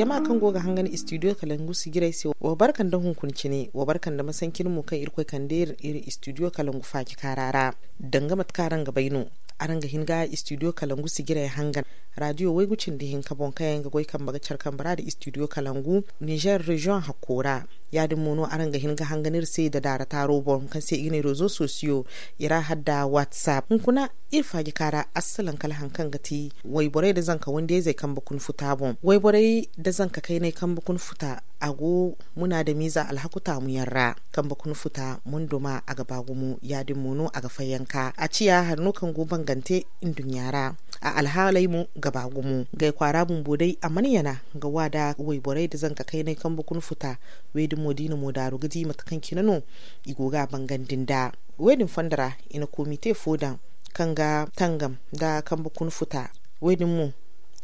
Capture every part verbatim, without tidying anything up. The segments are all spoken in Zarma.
Jama kaŋ go ga hangan istidiyo kalangu sijirey se, wa barka nda hunkuna cine, wa barka nda masanci cine mo kaŋ irkoy kande iri istidiyo kalangu faaji kaara ra. Danga mate kaŋ araŋ ga bay no, araŋ ga hin ga istidiyo kalangu sijirey hangan, raadiyo waygu cindi hinka boŋ kaŋ yaŋ ga goy kambe ga care kambe ra nda istidiyo kalangu nizer reziyoŋ hakko ra. Ya- din mo no araŋ ga hin ga hangan iri se nda daara taaro boŋ kaŋ se i ga ne rezo sosiyo, i ra hala nda whatsapp hunkuna. Iri faaji kaara assalaŋ kala hari kaŋ ga ti wayborey nda zanka wandiyayzey kambe kuna futa boŋ. Wayborey nda zanka kaynay kambe kuna futa, a go munaadamiize alhaku taamu yaŋ ra. Kambe kuna futa, mondo ma a ga ba gumo. Ya- din mo no a ga fayyanka a ciya hari no kaŋ go bangante nduɲɲa ra. A alhaaley mo ga ba gumo. Gay kwaara bumbo day a mana yana ga wa nda wayborey nda zanka kaynay kambe kuna futa. Wey- din mo da i na mo daaru ga di mate kaŋ cine no i go ga a bangandi nda. Wey- din fondo ra, i na komite fo daŋ kaŋ ga tangam nda kambe kuna futa. Wey- din mo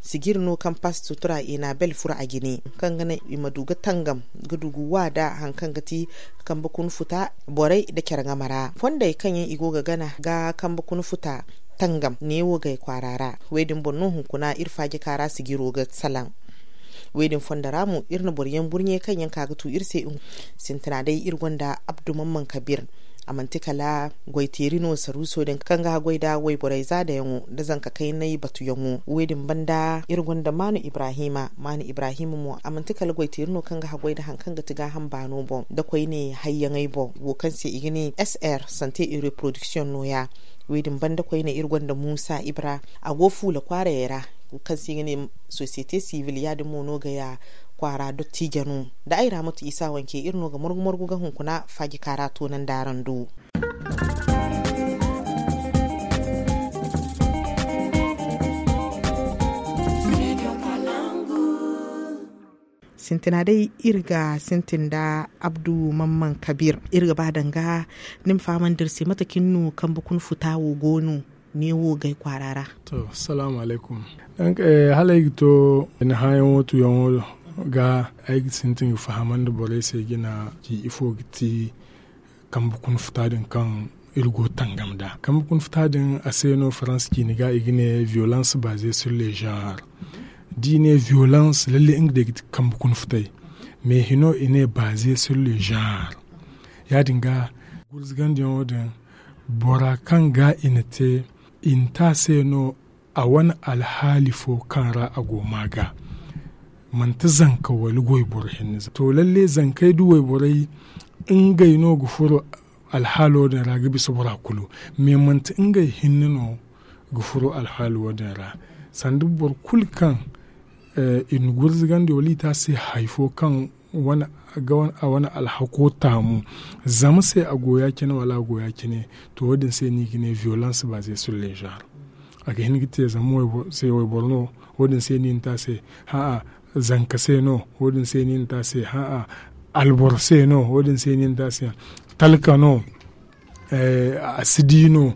sijiri no kaŋ pasto tura i na bel furo a jine, kaŋ ga naŋ i ma du ga tangam ga du ga wa nda hari kaŋ ga ti kambe kuna futa borey nda care game ra. Fondey kaŋ yaŋ i go ga gana ga kambe kuna futa tangam neewo gay kwaara ra. Wey- din boŋ no hunkuna iri faaji kaara sijiro ga salaŋ. Wey- din fondo ra mo iri na boro yaŋ burɲe kaŋ yaŋ ka ga tu iri se. Sintina day iri gonda abdu mamman kabir. A manti kala goyteeri no saruuso din kaŋ ga haggoy nda wayborey zaadayaŋo nda zanka kaynay batuyaŋo. Wey- din banda iri gonda maanu ibrahima. Maanu ibrahima mo a manti kala goyteeri no kaŋ ga haggoy nda hari kaŋ ga ti gaaham baano boŋ nda koyne hayyaŋey boŋ wo kaŋ se i ga ne sr sante et reproduction nooya. Wey- din banda koyne iri gonda muusa ibra, a go fuula kwaarayey ra kaŋ se i ga ne sosiyete sivil. Ya- din mo no gaya kwaara dottiije no. Da ay ra matu isa wanke iri no ga morgu morgu ga hunkuna faaji kaara toonandi araŋ do. Sintina day iri ga sintin nda abdu mamman kabir. Iri ga ba danga ni ma fahamandi iri se mate kaŋ ni no kambe kuna futa wo go no neewo gay kwaara ra? To, salaamu alaykum. Hala ay ga to ni hããyaŋo tuyaŋo ga, ay ga sintin ga fahamandi borey se jina ci ifo ga ti kambe kuna futa din kaŋ iri go tangam nd'a. Kambe kuna futa din a se no faransa ciini ga i ga ne violence baaze sur le genre. Da i ne violence lalle nga day ga ti kambe kuna futay. Mais hino i ne baaze sur le genre. Ya- din ga gurzugandiyaŋo din bora kaŋ ga i na te i na te a se no a wane alhaali fo kaŋ ra a go ma ga. Manti zanka wala wayboro hinne za to lalle zankey da wayborey ngey no ga furo alhaalo din ra ga bisa bora kulu. Mais manti ngey hinne no ga furo alhaalo din ra. Sanda boro kulu kaŋ i na gurzugandi wala i te a se hari fo kaŋ a wane alhako taamu zama se a go ya- cine wala a go ya- cine. To wo- din se no i ga ne violence baaze sur le genre. A ga hin ga te zama se wayboro no. Wo- din se no i na te a se ha'a. Zanka se no. Wo- din se no i na te a se ha'a. Alboro se no. Wo- din se no i na te a se talka no. A si di no.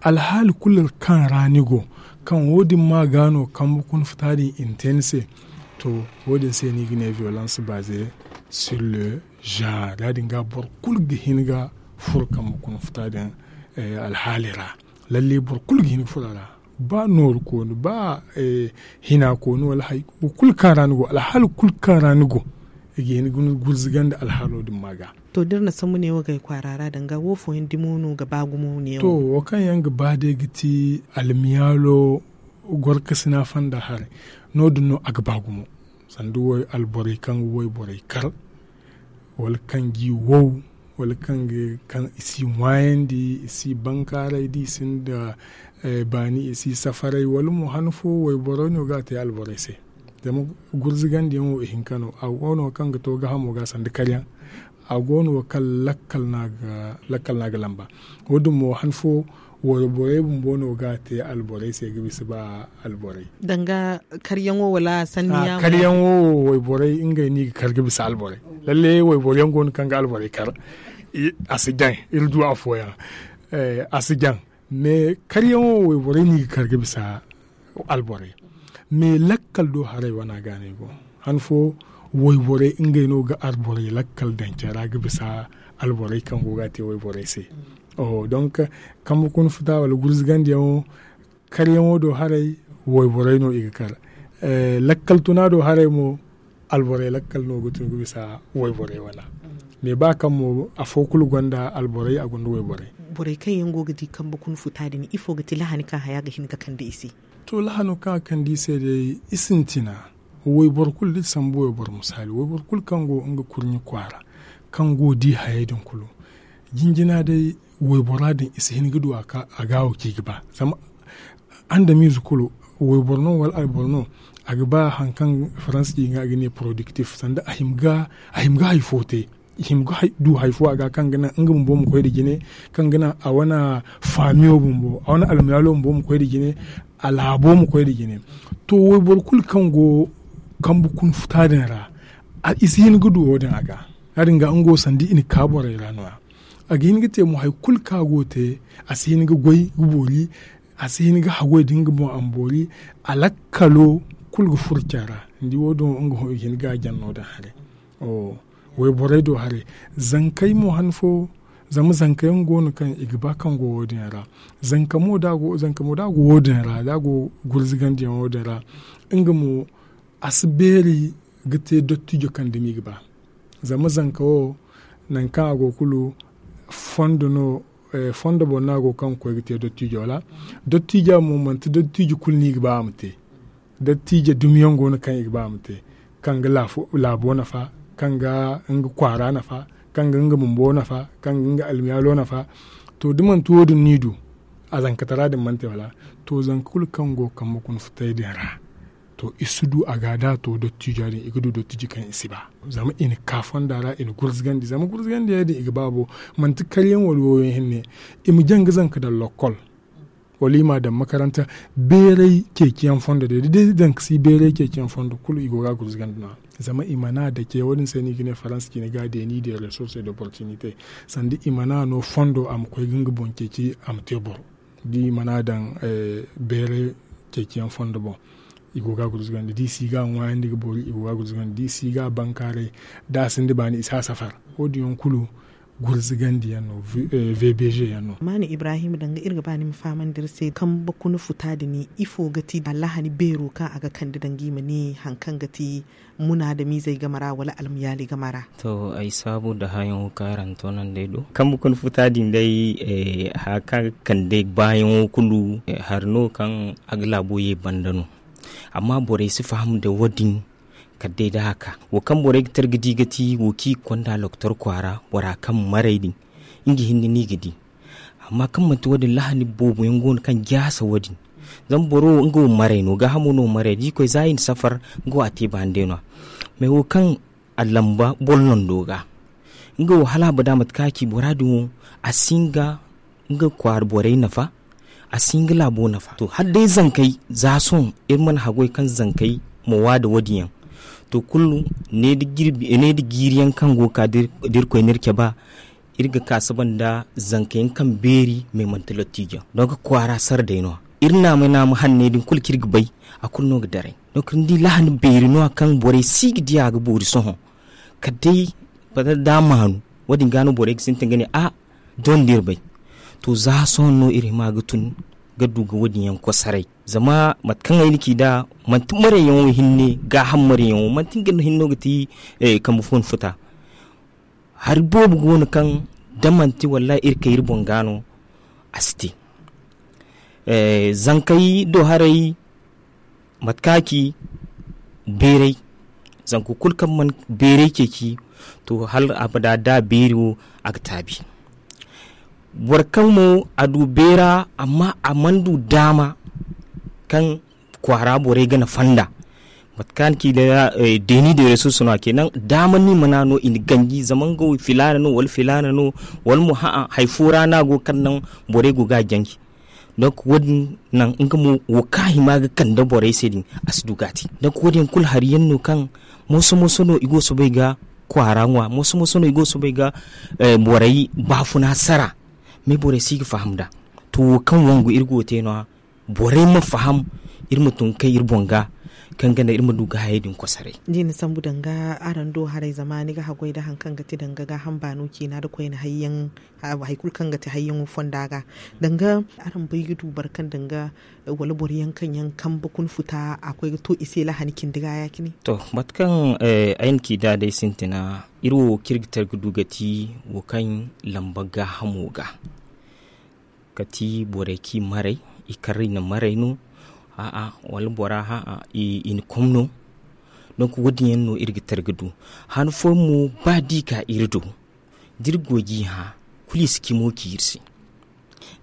Alhaali kulu kaŋ ra ni go kaŋ wo- din ma ga no kambe kuna futa din i na te ni se. To wo- din se no i ga ne violence baaze sur le genre. Ya- din ga boro kulu ga hin ga furo kambe kuna futa din alhaali ra. Lalle boro kulu ga hin ga furo a ra. Ba nooru kooni ba hina kooni wala hari kulu kaŋ ra ni go alhaali kulu kaŋ ra ni go i ga hin ga ni gurzugandi alhaalo din ma ga. To da iri na sambu neewo gay kwaara ra danga wo fooyaŋ dimo no ga ba gumo neewo? To wo kaŋ yaŋ ga ba day ga ti almiyaalo gorkasina fonda haray. No- din no a ga ba gumo sanda alborey kaŋ ga wayborey kar wala kaŋ g'i wow wala kaŋ i si ŋwaayandi i si bankaaray da i sinda baani i si safaray wala mo han fo wayborey no ga a te alborey se. Zama gurzugandiyaŋo ihinka no a go no kaŋ ga to gaahamo ga sanda karyaŋ. A go no kaŋ lakkal no a ga lamba. Wo- din mo han fo wayborey bumbo no ga a te alborey se ga bisa ba alborey. Danga karyaŋo wala sanniyaŋo? Karyaŋo wo wayborey ngey no i ga kar ga bisa alborey. Lalle wayboro yaŋ go no kaŋ ga alborey kar. A si jaŋ iri du afooyaŋ. A si jaŋ. Mais karyaŋo wo wayborey no i ga kar ga bisa alborey. Mais lakkal do haray wana ga no i go han fo wayborey ngey no ga alborey lakkal daŋ care ra ga bisa alborey kaŋ go ga a te wayborey se. Donc kambe kuna futa wala gurzugandiyaŋo karyaŋo do haray wayborey no i ga kar. Lakkal tuna do haray mo Alborey lakkal no ga tun ga bisa wayborey wana. Mais ba kaŋ mo afo kulu gonda alborey a gonda wayborey. Borey kaŋ yaŋ go ga di kambe kuna futa din ifo ga ti lahani kaŋ haya ga hin ga kande i se? To lahano kaŋ a kande i se day i sintina. Wayboro kulu da sambu wayboro misali wayboro kulu kaŋ go nga kurɲi kwaara kaŋ go di hayey din kulu jinjina day waybora din i si hin ga du a ga wo kaŋ i ga ba zama andamiize kulu wayboro no wala alboro no a ga ba hari kaŋ faransa ci ga ne productif sanda a hima ga hari fo te i hima ga du hari fo a ga kaŋ ga naŋ nga bumbo ma koy nda jine kaŋ ga naŋ a wane faamiyo bumbo a wane almaalo bumbo ma koy nda jine a laabo ma koy nda jine. To wayboro kulu kaŋ go kambe kuna futa din ra i si hin ga du wo- din a ga ya- din ga nga wo sanda i na ka borey ra no- ya a ga hin ga te mo hari kulu kaŋ a go ga te a si hin ga goy ga boori a si hin ga haggoy da nga boŋ a ma boori a lakkalo kulu ga furo care ra ni di wo- din wo nga hõ i hin ga a jaŋ no- din haray. Wayborey do haray zankey mo han fo zama zankey yaŋ go no kaŋ i ga ba kaŋ go wo- din yaŋ ra. Zanka mo da a go wo- din yaŋ ra da a go gurzugandi yaŋ wo- din ra nga mo a si beeri ga te dottijo kaŋ dumi ga ba. Zama zanka wo nangu kaŋ a go kulu fondo no fondo boŋ no a go kaŋ ga koy ga te dottijo wala dottijo mo manti dottijo kulu no i ga ba a ma te. Dottijo dumiyaŋ go no kaŋ i ga ba a ma te kaŋ ga laabo nafa kaŋ ga nga kwaara nafa kaŋ ga nga bumbo nafa kaŋ ga nga almiyaalo nafa. To da manti wo- din no i du a zankatara din mana te wala to zanka kulu kaŋ go kambe kuna futay din ra. To i si du a ga da a to dottijo ya- din i ga du dottijo kaŋ i si ba zama i na ka fonda ra i na gurzugandi zama gurzugandi ya- din i ga ba bo manti karyaŋ wala woyo hinne i ma jaŋ ga zanka daŋ lokkol wala i m'a daŋ makaranta beeray ceeciyaŋ fondo day da day zanka si beeray ceeciyaŋ fondo kulu i go ga a gurzugandi no- ya zama i mana dake wo- din se no i ga ne faransa cine ga a deeni de resource d'opportunité sanda i mana no fondo a ma koy ga nga boŋ ceeci a ma te boro da i mana daŋ beeray ceeciyaŋ fondo boŋ. I go ga a gurzugandi da i si ga a ŋwaayandi ga boori i go ga a gurzugandi da i si ga a bankaaray da a sinda baani i si a safar. Wo- din yaŋ kulu gurzugandi yaŋ no. Vbg yaŋ no. Maani ibrahim danga iri ga ba ni ma fahamandi iri se kambe kuna futa din ifo ga ti allahani beero kaŋ a ga kande danga i ma ne hari kaŋ ga ti munaadamiizey game ra wala almayaaley game ra? To ay saabu nda hããyaŋo kaŋ araŋ toonandi ay do kambe kuna futa din day. Haya kaŋ a ga kande baayaŋo kulu hari no kaŋ a ga laabo ye banda no. Amma borey si faham nda wo- din kala day da a ka wo kaŋ borey ga tara ga di ga ti wo kaŋ i ga konda loktor kwaara bora kaŋ maray din nga hinne no i ga di. Amma kaŋ manti wo- din lahani boobo yaŋ go no kaŋ jaasa wo- din zama boro wo nga wo maray no gaahamo no maray da i koy za i na safar nga wo a te baani day no- ya. Mais wo kaŋ a lamba boro nando ga nga wo hala abada mate kaŋ a ci bora din wo a si hin ga nga kwaara borey nafa. A si hin ga laabo nafa to hala day zankey za sohõ iri mana haggoy kaŋ zankey ma waa nda wo- din yaŋ. To kulu ne nda jiiri yaŋ kaŋ go ga ka da iri koy no iri cabe iri ga ka saba nda zanka yaŋ kaŋ beeri mais manti lottijo yaŋ donk kwaara sara day no- ya. Iri naamay naama hanney din kulu kaŋ iri ga bay a kulu no ga daray. Donk ni di lahani beeri no- ya kaŋ borey si ga di a ga boori sohõ kala day bata da a maanu. Wo- din ga no borey ga sintin ga ne a doŋ da iri bay. To za sohõ no iri hima ga tun ga du ga wo- din yaŋ kosaray. Zama mate kaŋ ay na ci nd'a manti marayyaŋo hinne gaaham marayyaŋo manti nga hinne no ga ti kambe fo ni futa. Hari boobo go no kaŋ da manti wallahi iri kay iri boŋ ga no a si te. Zankey do haray mate kaŋ a ci beeray zanka kulu kaŋ mana beeray ceeci to hala abada da a beeri wo a ga taabi. Boro kaŋ mo a du beera amma a mana du daama kaŋ kwaara borey ga nafa nd'a. Mate kaŋ a na ci deeni de resurs no a ce naŋ daama no i mana no i na ganji zama nga wo filaana no wala filaana no wala mo ha'a hari fo ra no a go kaŋ naŋ borey go ga a janji. Donk wo- din naŋ nga mo wo kaŋ a hima ga kande borey se din a si du ga a te. Donk wo- din yaŋ kulu hari yaŋ no kaŋ moso moso no i go ga soobay ga kwaara ŋwa moso moso no i go ga soobay ga borey baafuna sara. Mais borey si ga faham nd'a. To wo kaŋ wangu iri go ga te no- ya borey ma faham iri ma tun ga kay iri boŋ ga. kaŋ ga naŋ iri ma du ga hayey din kosoray. Da i na sambu danga araŋ do haray zama ni ga haggoy nda hari kaŋ ga ti danga gaaham baano ciina nda koyne hayyaŋ, hari kulu kaŋ ga ti hayyaŋo fonda ga danga araŋ bay ga du boro kaŋ danga wala boro yaŋ kaŋ yaŋ kambe kuna futa a koy ga to i se lahani cindi ga ya- cine. To mate kaŋ ay na ci nd'a day sintina, iri wo kaŋ iri ga tara ga du ga ti wo kaŋ lamba gaahamo ga kati borey kaŋ i maray, i kar i na maray no, a'a wala bora a'a i na kom no. Donk wo- din yaŋ no iri ga tara ga du. Han fooyaŋ mo ba da i ka iri do, da iri go ga i hã, kulu i si cimo ci iri se.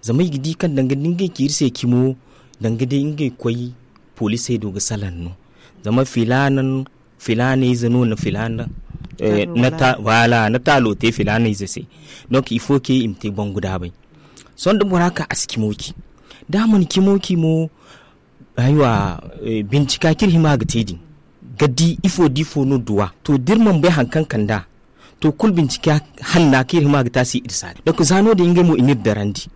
Zama i ga di kaŋ danga da ngey ci iri se cimo, danga day ngey koy poliisey do ga salaŋ no. Zama filaana filaana ize no na filaana na taalo te filaana ize se. Donk il faut que i ma te bangu daabay. Sohõ da bora ka a si cimo ci, da a mana cimo ci mo, aywa, bincika kaŋ iri hima ga te din ga di ifo da ifo no duwa. To da iri mana bay hari kaŋ kand'a, to kulu bincika hanna kaŋ iri hima ga te a si iri saari. Donk za no- din ngey mo i n'iri darandi.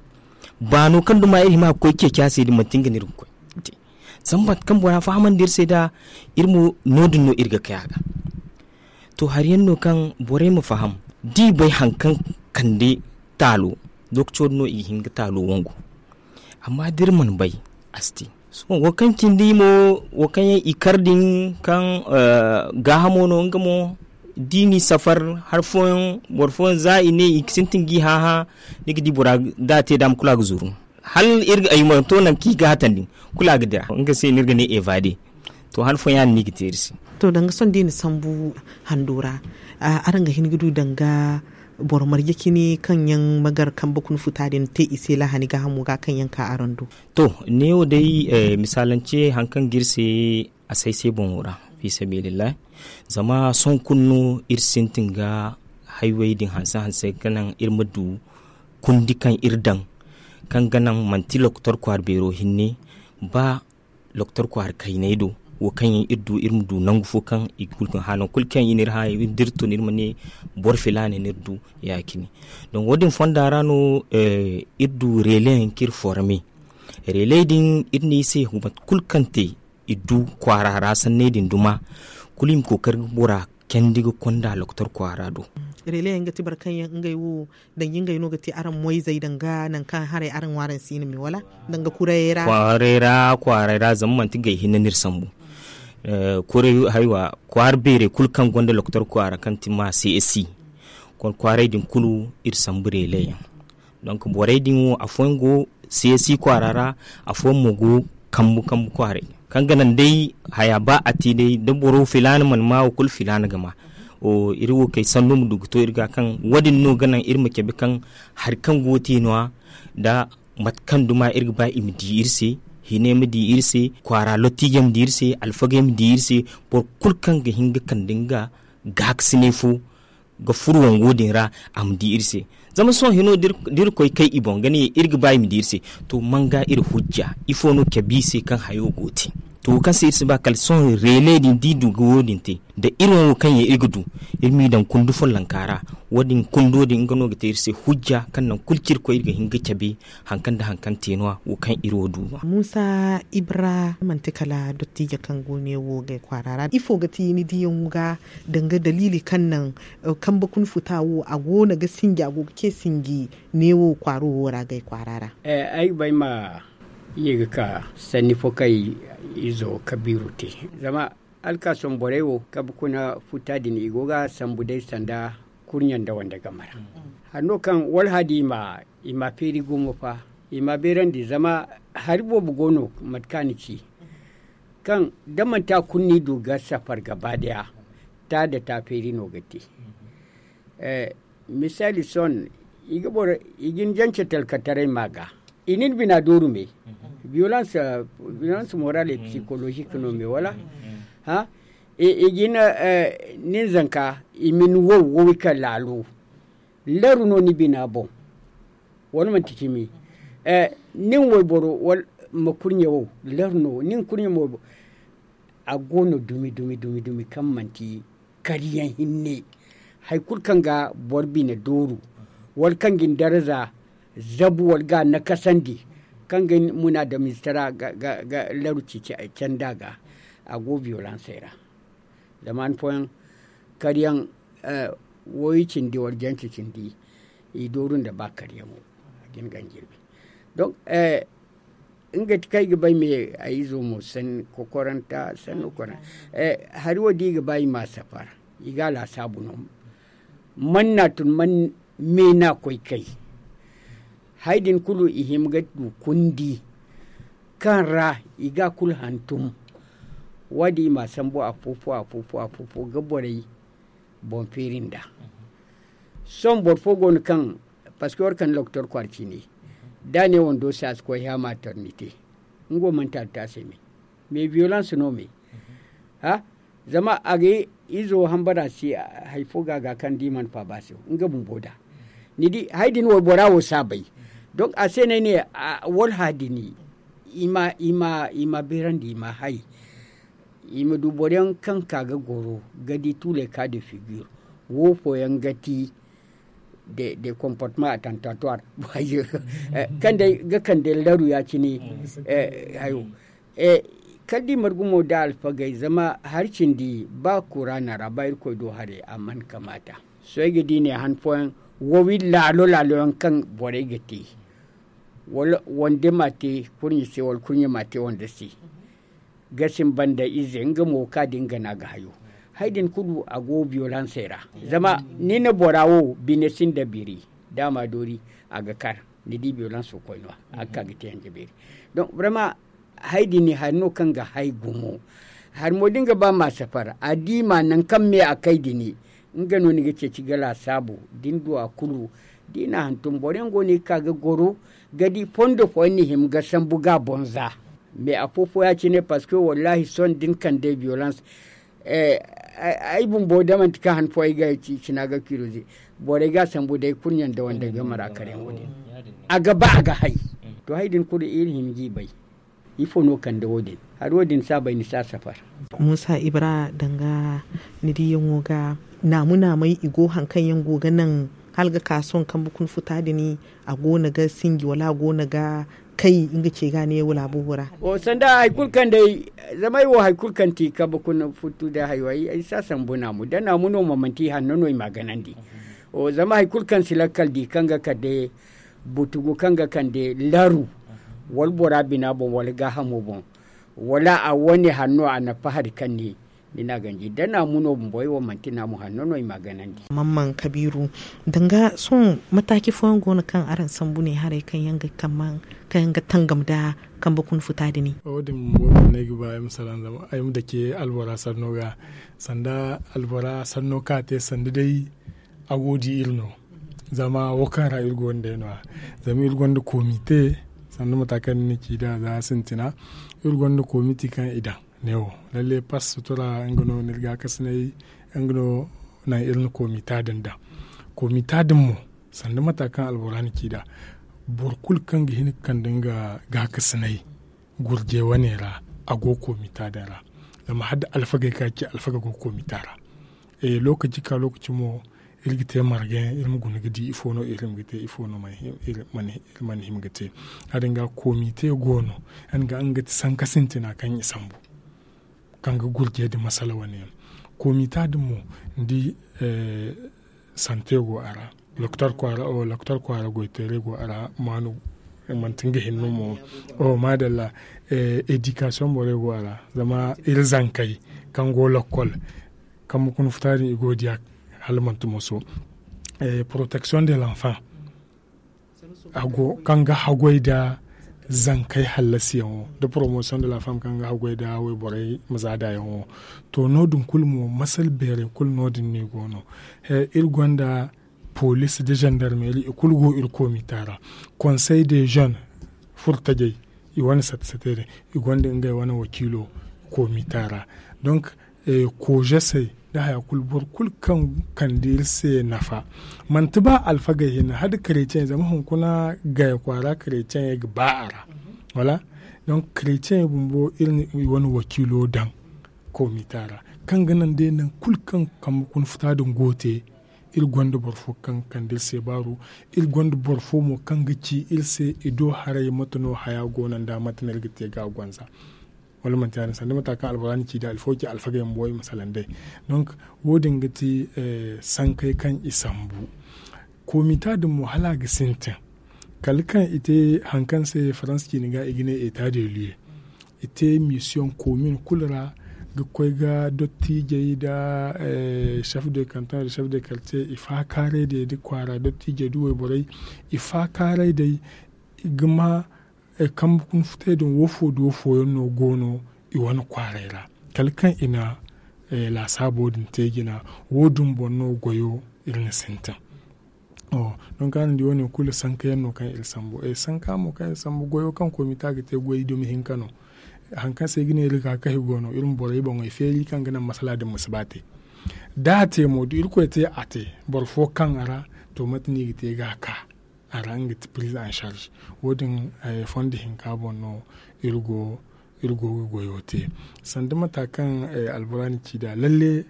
Baano kaŋ duma iri hima ga koy ceeci a se din manti nga no iri ga koy. Zama mate kaŋ bora fahamandi iri se nd'a, iri mo no- din no iri ga kay a ga. To hari yaŋ no kaŋ borey ma faham, da i bay hari kaŋ kande taalo, lokaco din no i ga hin ga taalo wangu. Amma da iri mana bay, a si te. Sohõ wo kaŋ cindi mo, wo kaŋ yaŋ i kar din kaŋ gaahamo no nga mo, da i n'i safar hari fooyaŋ, boro fooyaŋ za i ne i ga sintin ga i hã-hã, ni ga di bora da a te daama kulu a ga zuru. Hala iri ga ay mana to nangu kaŋ i ga hatandi, kulu a ga dira nga se no iri ga ne evaade. To han fooyaŋ ya- din no i ga te iri se. To danga sohõ da i na sambu hando ra, araŋ ga hin ga du danga boro marje cine kaŋ yaŋ ma gar kambe kuna futa din te i se lahani gaahamo ga kaŋ yaŋ ka araŋ do? To, neewo day, misaalance hari kaŋ ga iri se, a say se boŋo ra, fiisabilillahi. Zama sohõ kulu no iri sintin ga haywey din hanse-hanse ga naŋ iri ma du kundi kaŋ iri daŋ, kaŋ ga naŋ manti lokotor kwaara beero hinne, ba lokotor kwaara kayney do, wo kaŋ yaŋ iri du iri ma du nangu fo kaŋ i ga kulu ga hã nangu kulu kaŋ i n'iri hã, da iri tun iri ma ne boro filaana no iri du. Ya- cine. Donk wo- din fonda ra no iri du reele yaŋ kaŋ iri forme. Reeley din iri ne i se mate kulu kaŋ te i du kwaara ra sanney din duma, kulu i ma kookari ga bora candi ga konda lokotor kwaara do. Reele yaŋ ga ti boro kaŋ yaŋ ngey wo, danga ngey no ga te araŋ moyzey danga nangu kaŋ haray araŋ ŋwaaraŋ si i na me wala? Danga kurayey ra. Kwaaray ra kwaaray ra zama manti gay hinne no iri sambu. Kwaara beerey kulu kaŋ gonda lokotor kwaara kaŋ ti ma csc, kwaaray din kulu iri sambu reele yaŋ. Donk borey din wo afooyaŋ go csc kwaara ra, afooyaŋ mo go kambu kambu kwaaray, kaŋ ga naŋ day haya ba a te day da boro filaana mana ma wo kulu filaana ga ma. Iri wo kay sanno ma du ga to iri ga kaŋ wo- din no ga naŋ iri ma cabe kaŋ hari kaŋ go ga te no- ya, da mate kaŋ duma iri ga ba i ma di iri se, hinay ma di iri se, kwaara lottiijey ma di iri se, alfagey ma di iri se. Boro kulu kaŋ ga hin ga kande nga gaakasinay fo ga furo wango din ra, a ma di iri se. Zama sohõ hino da iri koy kay i boŋ ga ne iri ga ba i ma di iri se. To man ga iri hujja ifo no cabe i se kaŋ hayo go ga te? To wo kaŋ se iri si ba kala sohõ reele din da i du ga wo- din te, da iri wo kaŋ yaŋ iri ga du, iri m'i daŋ kundu follonka ra. Wo- din kundo din nga no ga te iri se hujja kaŋ naŋ kulu kaŋ iri koy iri ga hin ga cabe hari kaŋ nda hari kaŋ te no- ya wo kaŋ iri wo du no- ya. Muusa ibra manti kala dottijo kaŋ go neewo gay kwaara ra ifo ga ti ni diyaŋo ga? Danga daliili kaŋ naŋ kambe kuna futa wo a go no ga sinji a go ga ce sinji neewo kwaaro wo ra gay kwaara ra. Ay ga ba ay ma ye ga ka sanni fo kaŋ ay izo kabiiru te. Zama alkaasom borey wo kambe kuna futa din i go ga sambu day sanda kurɲe nda wande game ra. Hari no kaŋ wala hadi i ma feeri gumo fa, i ma beerandi zama hari boobo go no mate kaŋ a na ci, kaŋ da manti a kulu no i du ga safar gaba daya, ta nda ta feeri no ga te. Misaali sohõ, i ga ni jance talkataray ma ga i na ni bina dooru me. Violence moral et psychologique no me wala? I ga ni zanka i ma ni wow wow i ka laalo. Laru no ni bina boŋ, wala manti cimi? Nin wayboro wala ma kurɲe wow, laru no nin kurɲe ma wayboro. A go no dumi dumi dumi dumi kaŋ manti kariyaŋ hinne. Hari kulu kaŋ ga boro bine dooru, wala kaŋ ga ni daraza zabu wala ga a nakasandi, kaŋ ga ni munaadamiizitara ga laru ci canda ga. a go biyolansey ra. Zama han fooyaŋ karyaŋ, woyo cindi wala jance cindi, i dooru nda ba karyaŋo. A ga ni ganjirbi. Donk nga ti kaŋ ay ga bay me ay izo mo sanni kokoranta sanni kokoranta. Hari wo da i ga ba i ma a safar, i ga a laasaabu no. Man n'a tun man me n'a koy kay. Hari din kulu i hima ga du kundi kaŋ ra i ga a kulu hantum. Wo- din i m'a sambu a fo fo a fo fo a fo fo ga borey boŋ feeri nd'a. Sohõ boro fo go no kaŋ, parceque war kande lokotor kwaara ciine, da a ne wando se a si koy hã maternité. Nga wo manti altaase me. Mais violence no me. Zama a ga izo hambara se hari fo ga a ga kaŋ da i mana faaba se nga bumbo da. Ni di hari din waybora wo si a bay. Donk a se no ay ne, wala hari din i ma beerandi i ma hay. I ma du boro yaŋ kaŋ ka ga goro ga di tule ka de figure. Wo fooyaŋ ga ti de comportement attentatoire. Kaŋ day ga kande laru ya- cine. Hayo kala da i margu mo da alfagey zama hari cindi ba kuraana ra ba irkoy do hare a mana kamaata. Sohõ ay ga di ne han fooyaŋ, wo wi laalo laalo yaŋ kaŋ borey ga te wala wande ma te kurɲe se wala kurɲe ma te wande se. Ga sinba nda ize nga mo ka din ga na ga hayo. Hari din kulu a go biyolansey ra. Zama ni na bora wo bine sinda biri, da a ma doori a ga kar. Ni di biyolanso koyno a ga ka ga te hanja beeri. Donk brema hari din hari no kaŋ ga hay gumo. Hari mo da nga ba ma safar a di ma nangu kaŋ me a kay din, nga no ni ga ceeci ga laasaabu da ni du a kulu. Da i na hantum boro yaŋ go no i ga ka ga goro ga di fondo fooyaŋ ni hima ga sambu ga a boŋ za. Mais a fo fo ya- cine parceque wallahi sohõ da ni kande violence. Ay bumbo da manti kaŋ han fo ay ga cina ga kiroze. Borey ga a sambu day kurɲe nda wande ga mara kar yaŋ wo- din a ga ba a ga hay. To hari din kulu iri hima g'i bay. Ifo no kande wo- din? Hari wo- din si a bay ni si a safar. Muusa ibra danga ni diyaŋo ga naamu naamey i go hari kaŋ yaŋ go ga naŋ hala ga ka sohõ kambe kuna futa din a go no ga sinji wala a go no ga kay nga ce ga ne wala a boobo ra? Sanda hari kulu kaŋ day zama ay wo hari kulu kaŋ ti kambe kuna futu da hayo ay si a sambu naamu da naamu no mo manti i hanno no i ma a ganandi. Zama hari kulu kaŋ si lakkal di kaŋ ga kande butugu kaŋ ga kande laru wala bora bina boŋ wala gaahamo boŋ wala a wane hanno a na fahari kaŋ ne ni na a ganji da naamu no bumbo ay wo manti naamu hanno no i ma a ganandi. Mamman kabiiru danga sohõ mataaci fooyaŋ go no kaŋ araŋ sambu ne haray kaŋ yaŋ ga tangam nda kambe kuna futa din? Wo- din bumbo no ay ga ba ay ma salaŋ zama ay ma dake albora sanno ga. Sanda albora sanno kaŋ a te sanda day a go ga di iri no. Zama wo kaŋ ra iri go no day no- ya zama iri gonda komite sanda mata kaŋ ni na ci nd'a za sintina. Iri gonda komite kaŋ i daŋ ne wo lalle pas sutura nga no ni iri gaakasinay nga no naŋ iri na komita din daŋ. Komita din mo sanda mata kaŋ albora na ci nd'a boro kulu kaŋ ga hin ga kande nga gaakasinay gurje wane ra a go komita din ra. Zama hala da alfagey kaŋ a ci alfaga go komita ra. Lokaci ka lokaci mo iri ga te marga yaŋ iri ma guna ga di ifo no iri hima ga te ifo no iri mana hima ga te. Ya- din ga komite go no ya- din ga nga ga ti sanka sintina kaŋ i sambu kaŋ ga gurje nda masala wane yaŋ. Komita din mo ni di sante go a ra, lokotor kwaara goyteeray go a ra maanu manti nga hinne mo. Maadalla. Edikasiyoŋ borey go a ra zama iri zankey kaŋ go lakkol kambe kuna futa din i go ga diya hala manti moso. Poroteksiyoŋ de lanfaŋ kaŋ ga haggoy nda zankey hallasiyaŋo nda poromosiyoŋ de lanfaŋ kaŋ ga haggoy nda wayborey ma zaadayaŋo. To no- din kulu mo masala beerey kulu no- din no i go no. Iri gonda poliisi nda zandarmeeri i kulu go iri komita ra. Konsey de zone furtajey i wane sate sate din i gonda ngey wane wakiilo komita ra. Donk koozesey nda haya kulu boro kulu kaŋ kande iri se nafa manti ba alfagey hinne hala da karetiyaŋey zama hunkuna gaya kwaara karetiyaŋey ga ba a ra. Wala donk karetiyaŋey bumbo iri na i wane wakiilo daŋ komita ra kaŋ ga naŋ day nangu kulu kaŋ kambe kuna futa din go ga te. Iri gonda boro fo kaŋ ga kande iri se baaru. Iri gonda boro fo mo kaŋ ga ci iri se i do haray mate no haya go no nda mate no iri ga te ga a gonza. Wala manti ya- din sanda mata kaŋ alburani ci da alfawci alfagey ma boy ma salaŋ day. Donc, wo- din ga ti sankey kaŋ i sambu. Komita din mo hala a ga sintin kala kaŋ i te hari kaŋ se faransa ciini ga i ga ne eta de lieu. I te misiyoŋ komin kulu ra ga koy ga dottijey nda chef de canton nda chef de quartier i faakaaray day nda kwaara dottijey nda wayborey i faakaaray day. I ga ma kambe kuna futay din wo fo nda wo fooyaŋ no go no i wane kwaaray ra kala kaŋ i na laasaabo din te jina. Wo- din boŋ no goyo iri na sintin. Donk araŋ di wo- ne kulu sanka yaŋ no kaŋ iri sambu sanka mo kaŋ iri sambu goyo kaŋ komita ga te goy dumi hinka no. Hari kaŋ se ay ga ne iri ga kahi go no iri ma borey boŋey feeri kaŋ ga naŋ masala din ma si ba te. Da a te mo da irkoy te a te boro fo kaŋ a ra to mate no i ga te ga a ka a ra nga ga ti prise en charge. Wo- din fondo hinka boŋ no iri go ga goyo te sanda mata kaŋ alburani ci nd'a lalle.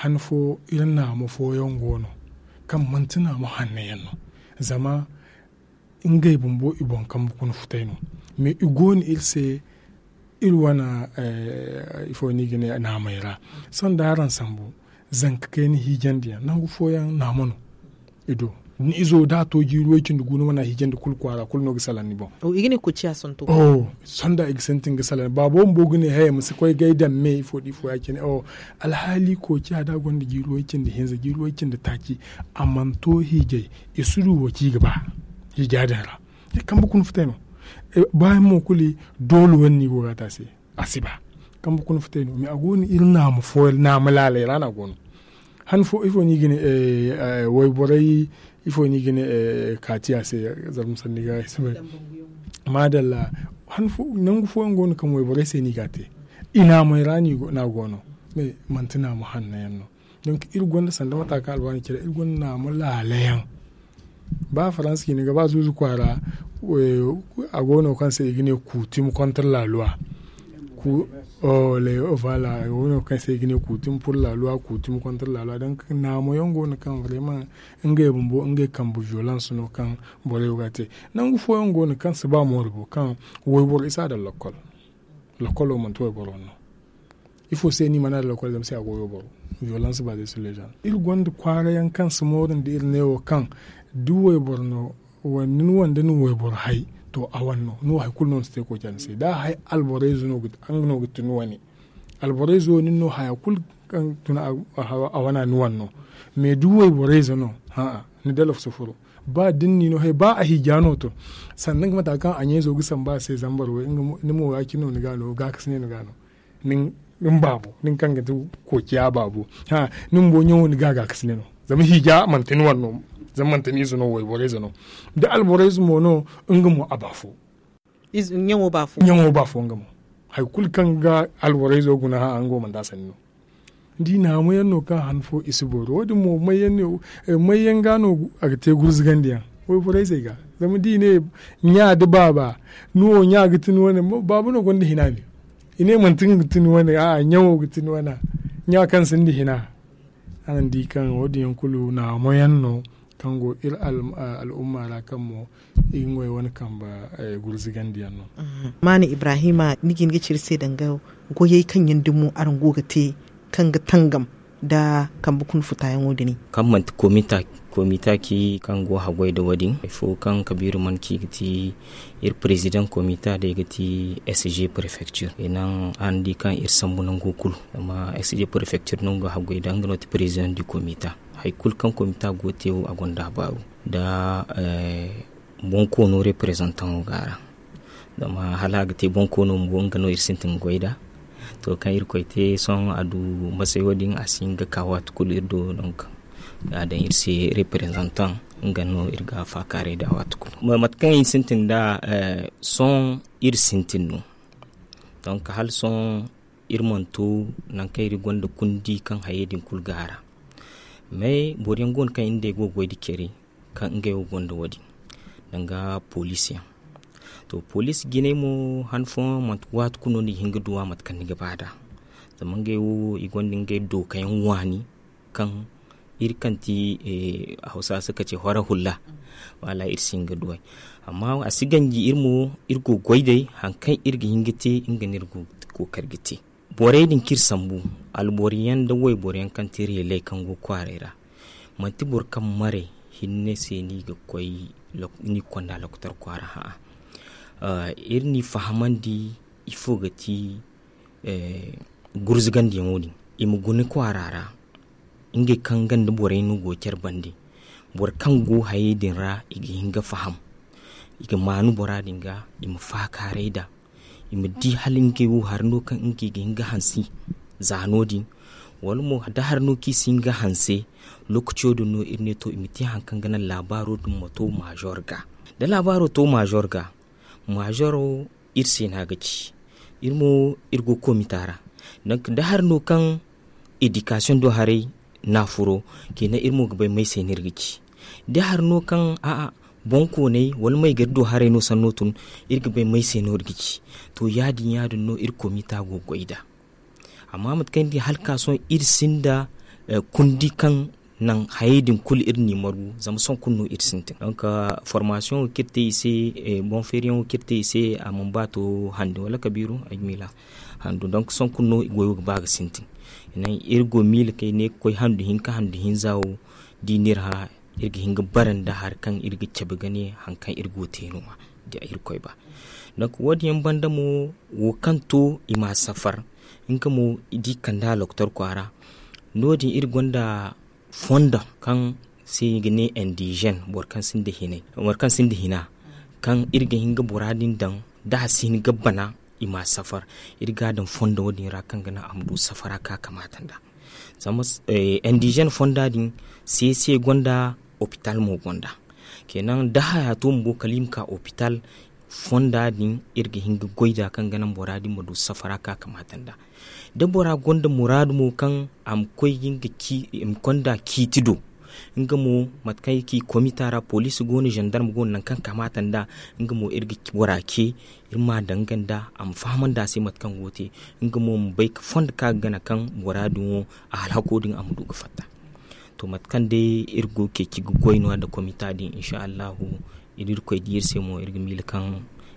Han fo iri naamo fooyaŋ go no kaŋ manti naamo hanno yaŋ no zama ngey bumbo i boŋ kambe kuna futay no. Mais i go no iri se iri wane ifo no i ga ne naamey ra. Sohõ da araŋ sambu zanka kayna hiijandi yaŋ nangu fooyaŋ naamo no. I do ni izo da a to jiiri way cindi gu ni mana hiijandi kulu kwaara kulu no ga salaŋ ni boŋ. Sonda i ga sintin ga salaŋ baabo bumbo ga ne haya ma si koy ga ay daŋ me ifo da ifo ya- cine. Alhaali kooci a da gonda jiiri way cindi hinza jiiri way cindi taaci a mana to hiijay i si du wo ci ga ba. Hiija din ra kambe kuna futay no. Baayaŋ mo kulu doole wane no i go ga a te a se. A si ba kambe kuna futay no mais a go no iri naama fooyaŋ naama laalay ra no a go no. Han fo ifo no i ga ne wayborey ifo no i ga ne kaati a se. Zarma sanni ga ay si bay. Maadalla. Nangu fooyaŋ go no kaŋ wayborey se no i ga a te i naamey ra no a go no. Mais manti naama hanno yaŋ no. Donk iri gonda sanda mata kaŋ alwaani care iri gonda naama laala yaŋ. Ba faransa ciine ga ba zuuzu kwaara a go no kaŋ se i ga ne kuutim kontra laaluwa. Kuutim pur laaluwa kuutim kontra laaluwa donk naamo yaŋ go no kaŋ vraiment ngey bumbo ngey kambe violence no kaŋ borey go ga a te. Nangu fooyaŋ go no kaŋ si ba moori bo kaŋ wayboro i si a daŋ lakkol. Lakkolo manti wayboro no. Ifo se no i mana a daŋ lakkol zama se a go wayboro. Violence baze sur les gens iri gonda kwaara yaŋ kaŋ si moori nda iri ne wo kaŋ da wayboro no wala ni wande ni wayboro hay to a wane no ni wo hari kulu no ni si te kooca ni se da a hay alborayze no nga no ga tun wane. Alborayze wo nin no haya kulu kaŋ tun a wane a ni wane no. Mais da wayborayze no ni dalaf si furo. Ba da ni no hay ba a hiija no to sannan ga mata kaŋ a ɲayzo ga samba a se zambar way ni mo ya- cine no ni ga no gaakasine ni ga no. Ni baabu nin kaŋ ga ti kookiya baabu. Ni bumbo ɲaŋo ni ga gaakasine no. Zama hiija manti ni wane no. Zama manti ni ize no wayborayze no. Da alborayze mo no nga mo a baafo. Ɲaŋo baafo nga mo. Hari kulu kaŋ ga alborayzo guna hã nga wo manti a sanni no. Ni di naamo yaŋ no kaŋ han fo i si boori wo- din mo may yaŋ ga no a ga te gurzugandi yaŋ. Wayborayzey ga zama da i ne ɲa da baaba ni wo ɲa ga tun wane baaba no gonda hina ne. I ne manti nga ga tun wane a'a ɲaŋo ga tun wane. Ɲa kaŋ sinda hina. Araŋ di kaŋ wo- din yaŋ kulu naamo yaŋ no kaŋ go iri al'umma ra kaŋ mo i ga ŋway wane kambe gurzugandi yaŋ no. Maana ibrahima ni ga hin ga ci iri se danga goyey kaŋ yaŋ dumo araŋ go ga te kaŋ ga tangam nda kambe kuna futayaŋo din. Kaŋ manti komita ci kaŋ go haggoy nda wo- din hari fo kaŋ kabiira mana ci ga ti iri president komita day ga ti sg prefecture i naŋ araŋ di kaŋ iri sambu nango kulu zama sg prefecture no nga haggoy nda nga no ti president du komita. Hari kulu kaŋ komita go ga te wo a gonda a baaru nda boŋ koono representant wo ga a ra. Zama hala a ga te boŋ koono bumbo nga no iri sintin ga goy nd'a. To kaŋ irkoy te sohõ a du masay wo- din a si hin ga ka waati kulu iri do donk a daŋ iri se representant nga no iri ga faakaaray nd'a waati kulu. Mate kaŋ iri sintin nd'a sohõ iri sintin no. Donk hala sohõ iri mana to nangu kaŋ iri gonda kundi kaŋ hayey din kulu ga a ra. Mais boro yaŋ go no kaŋ iri nd'ey go ga goy nda care kaŋ ngey wo gonda wo- din danga poliisi yaŋ. To poliisi jinay mo han fooyaŋ manti waati kulu no ni ga hin ga duw'a mate kaŋ ni ga ba nd'a. Zama ngey wo i gonda ngey dookayaŋ waani kaŋ Iri kaŋ ti hawsa se ka ce hora hulla. Wala iri si hin ga duw'ey. Amma a si ganji iri mo iri go ga goy day hari kaŋ iri ga hin ga te nga no iri go ga kookari ga te. Borey din kaŋ iri sambu, alboro yaŋ nda wayboro yaŋ kaŋ ti iri heley kaŋ go kwaaray ra. Manti boro kaŋ maray hinne se no i ga koy, no i ga konda lokotor kwaara hã'a. Iri n'i fahamandi ifo ga ti gurzugandiyaŋo din, i ma guna kwaara ra. Ngey kaŋ nga nda borey no go care bande, boro kaŋ go hayey din ra i ga hin ga faham. I ga maanu bora din ga, i ma faakaaray nd'a. I ma di hala ngey wo hari no kaŋ ngey ga hin ga hanse za no-din. Wala mo da hari no kaŋ i si hin ga hanse, lookaco din no iri ne to i ma te hari kaŋ ga naŋ laabaaro din ma to maazor ga. Da laabaaro to maazor ga, maazoro iri se no a ga ci. Iri mo iri go komita ra. Donk da hari no kaŋ edikasiyoŋ do haray n'a furo, kina iri mo ga bay may se no iri ga ci. Da hari no kaŋ a'a, boŋkooney wala may ga iri do haray no sanno tun, iri ga bay may se no iri ga ci. To ya-din ya-din no iri komita go ga goy nd'a. Amma mate kaŋ ni di hala ka sohõ iri sinda kundi kaŋ naŋ hayey din kulu iri n'i margu zama sohõ kulu no iri sintin. Donk, formasiyoŋo kaŋ iri te i se, boŋ feeriyaŋo kaŋ iri te i se, a mana ba to handu wala kabiiru ay ga miila handu. Donk sohõ kulu no goyo ga ba ga sintin. Iri go miila kaŋ ay ne ga koy handu hinka handu hinza wo, da i n'iri hã, iri ga hin ga bara nda hari kaŋ iri ga cabe ga ne hari kaŋ iri go ga te no-ya, da irkoy ba. Donk wo- din yaŋ banda mo, wo kaŋ to i m'a safar, nga mo da i kand'a lokotor kwaara. No- din iri gonda fondo kaŋ se i ga ne indizen, boro kaŋ sinda hina, kaŋ iri ga hin ga bora din daŋ da a si hin ga bana, i m'a safar. Iri ga a daŋ fondo wo- din ra kaŋ ga naŋ a ma du safara kaŋ a kamaata nd'a. Zama indizen fonda din, se se gonda, opital mo gonda. Kenan da haya to bumbo kala i ma ka opital, fonda din iri ga hin ga goy nd'a kaŋ ga naŋ bora din ma du safara kaŋ a kamaata nd'a. Da bora gonda muraadu mo kaŋ a ma koy ga nga ci i ma konda ciiti do, nga mo mate kaŋ i ci komita ra poliisi go no zandarma go no nangu kaŋ kamaata nd'a, nga mo iri ga bora ce, iri m'a daŋ nga nd'a a ma fahamandi a se mate kaŋ go ga te. Nga mo ma bay fondo kaŋ a ga gana kaŋ bora din wo, a alhako din a ma du ga fatta. To mate kaŋ day iri go ga ceeci ga goy no- ya nda komita din insa allahu, iri irkoy di iri se mo iri ga miila kaŋ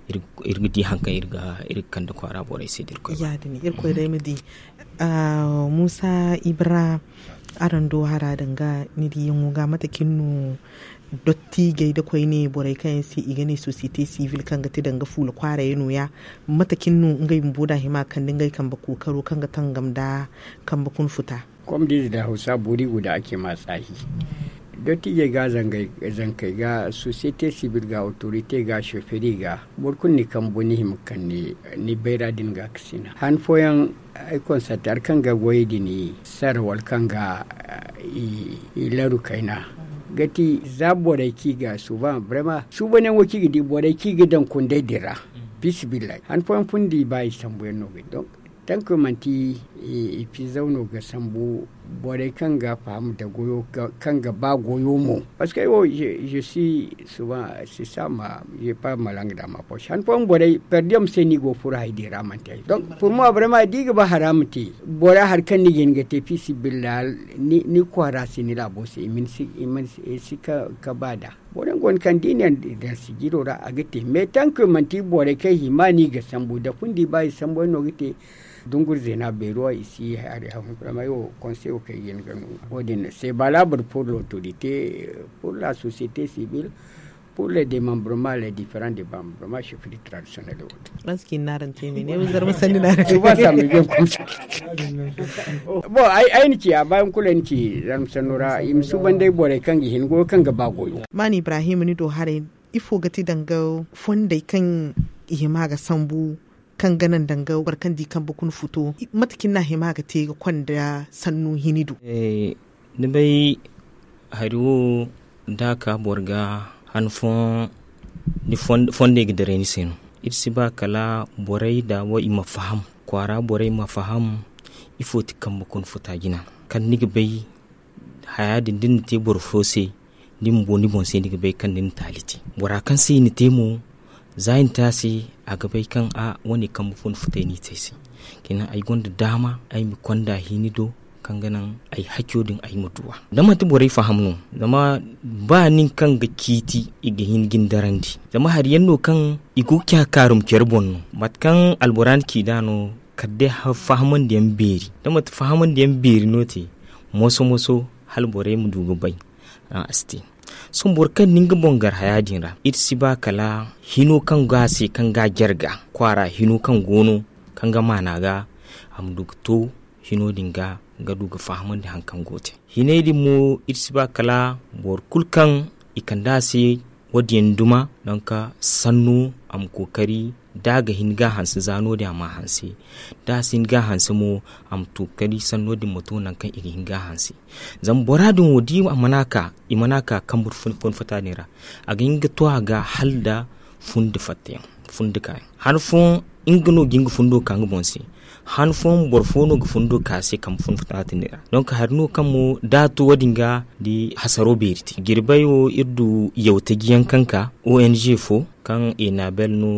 iri ga di hari kaŋ iri ga kande kwaara borey se da irkoy ba. Irkoy day ma di. Muusa ibra, araŋ do hara danga ni diyaŋo ga mate kaŋ ni no, dottijey da koyne borey kaŋ yaŋ se i ga ne sosiyete sivil kaŋ ga te danga fuula kwaarayey no- ya, mate kaŋ ni no ngey bumbo da a hima ga kande ngey kambe kookaro kaŋ ga tangam nda kambe kuna futa? Kom da ize da hausa boori guda ake ma tsaahi. Dottijey ga zankey ga sosiyete sivil ga otorite ga soferi ga, boro kulu ni kambu ni hima ga kande ni bayra din ga ga sina han fooyaŋ. Ay konsante hari kaŋ ga goyey din sara wala kaŋ ga i laru kayna, ga ti za borey kaŋ i ga suuban brema suubanyaŋo kaŋ i ga di borey kaŋ i ga daŋ kundey din ra. Pisi billay han fooyaŋ fundi ba i sambuyaŋ no ga di donk tankoy manti i fizaw no ga sambu. Borey kaŋ ga faham da goyo kaŋ ga ba goyo mo. Parceque ay wo je suis souvent c'est ça ma je pas ma langue dans ma poche han fooyaŋ borey perdiyam se no i go furo hay din ra manti ay donk pour moi vraiment da i ga ba haramu te. Bora hari kaŋ ni ga hin ga te fi sabilillah ni kwaara se ni laabo se i mana si ka ba nd'a. Boro yaŋ go no kaŋ da i ne daŋ sijiro ra a ga te mais tankoy manti borey kaŋ hima no i ga sambu da fundi ba i sambu yaŋ no ga te. Dunguri zeena beero i si hari haŋ. Konseyo kaŋ i ga hin ga no wo- din se ba laabur pour l'autorité, pour la société civile, pour le démembrement les différents démembrement chefferie traditionnelle wo- din. Araŋ si ka i na araŋ te me ne wo zarma sanni na araŋ te. Bon ay na ci a baayaŋ kulu ay na ci zarma sanno ra i ma suuban day borey kaŋ ga hin goyo kaŋ ga ba goyo. Maani ibrahim ni do haray ifo ga ti danga fondey kaŋ i hima ga sambu kaŋ ga naŋ danga boro kaŋ di kambe kuna futo? Mate kaŋ ni na a hima ga te ga konda sannu hini do? Ni bay hari wo da a ka boro ga han fooyaŋ fondey ga diray ni se no. Iri si ba kala borey da wo i ma faham kwaara borey ma faham ifo ti kambe kuna futa jina kala ni ga bay haya din da ni na te boro fo se. Ni bumbo ni boŋ se ni ga bay kaŋ ni na taali te bora kaŋ se i na te mo. Za i na te a se a ga bay kaŋ a wane kambe fo ni futay no i te ay se. Kina ay gonda daama ay ma konda hini do kaŋ ga naŋ ay haco din ay ma duw'a. Da manti borey faham no, zama ba nin kaŋ ga ciiti i ga hin ga ni darandi. Zama hari yaŋ no kaŋ i go ga ci a kaarum care boŋ no, mate kaŋ albora na ci nd'a no. Kala day fahamandi yaŋ beeri, da manti fahamandi yaŋ beeri no te, moso moso hala borey ma du ga bay. A si te. Sohõ boro kaŋ na nga boŋ gar haya din ra, iri si ba kala hino kaŋ go a se kaŋ ga a jarga kwaara hino kaŋ go no, kaŋ ga maana ga a ma du ga to hino din ga, ga du ga fahamandi hari kaŋ go ga te. Hinay din mo iri si ba kala boro kulu kaŋ i kande a se wo- din yaŋ duma. Donk sanno a ma kookari da a ga hin ga a hanse za no- din a ma a hanse. Da a si hin ga a hanse mo, a ma kookari sanno din ma to nangu kaŋ i ga hin ga a hanse. Zama bora din wo da i mana ka i mana ka kambu fun fata din ra, a ga hin ga to a ga hala nda fundi fatta yaŋ, fundi kaayaŋ. Han fooyaŋ nga no ga hin ga fundo ka nga boŋ se. Han fooyaŋ boro fo no ga fundo ka a se kambe fun fata din ra. Donk hari no kaŋ mo da a to wo- din ga da hasaro beeri te jirbey wo iri du yawtaji yaŋ kaŋ ka ong fo kaŋ enabel no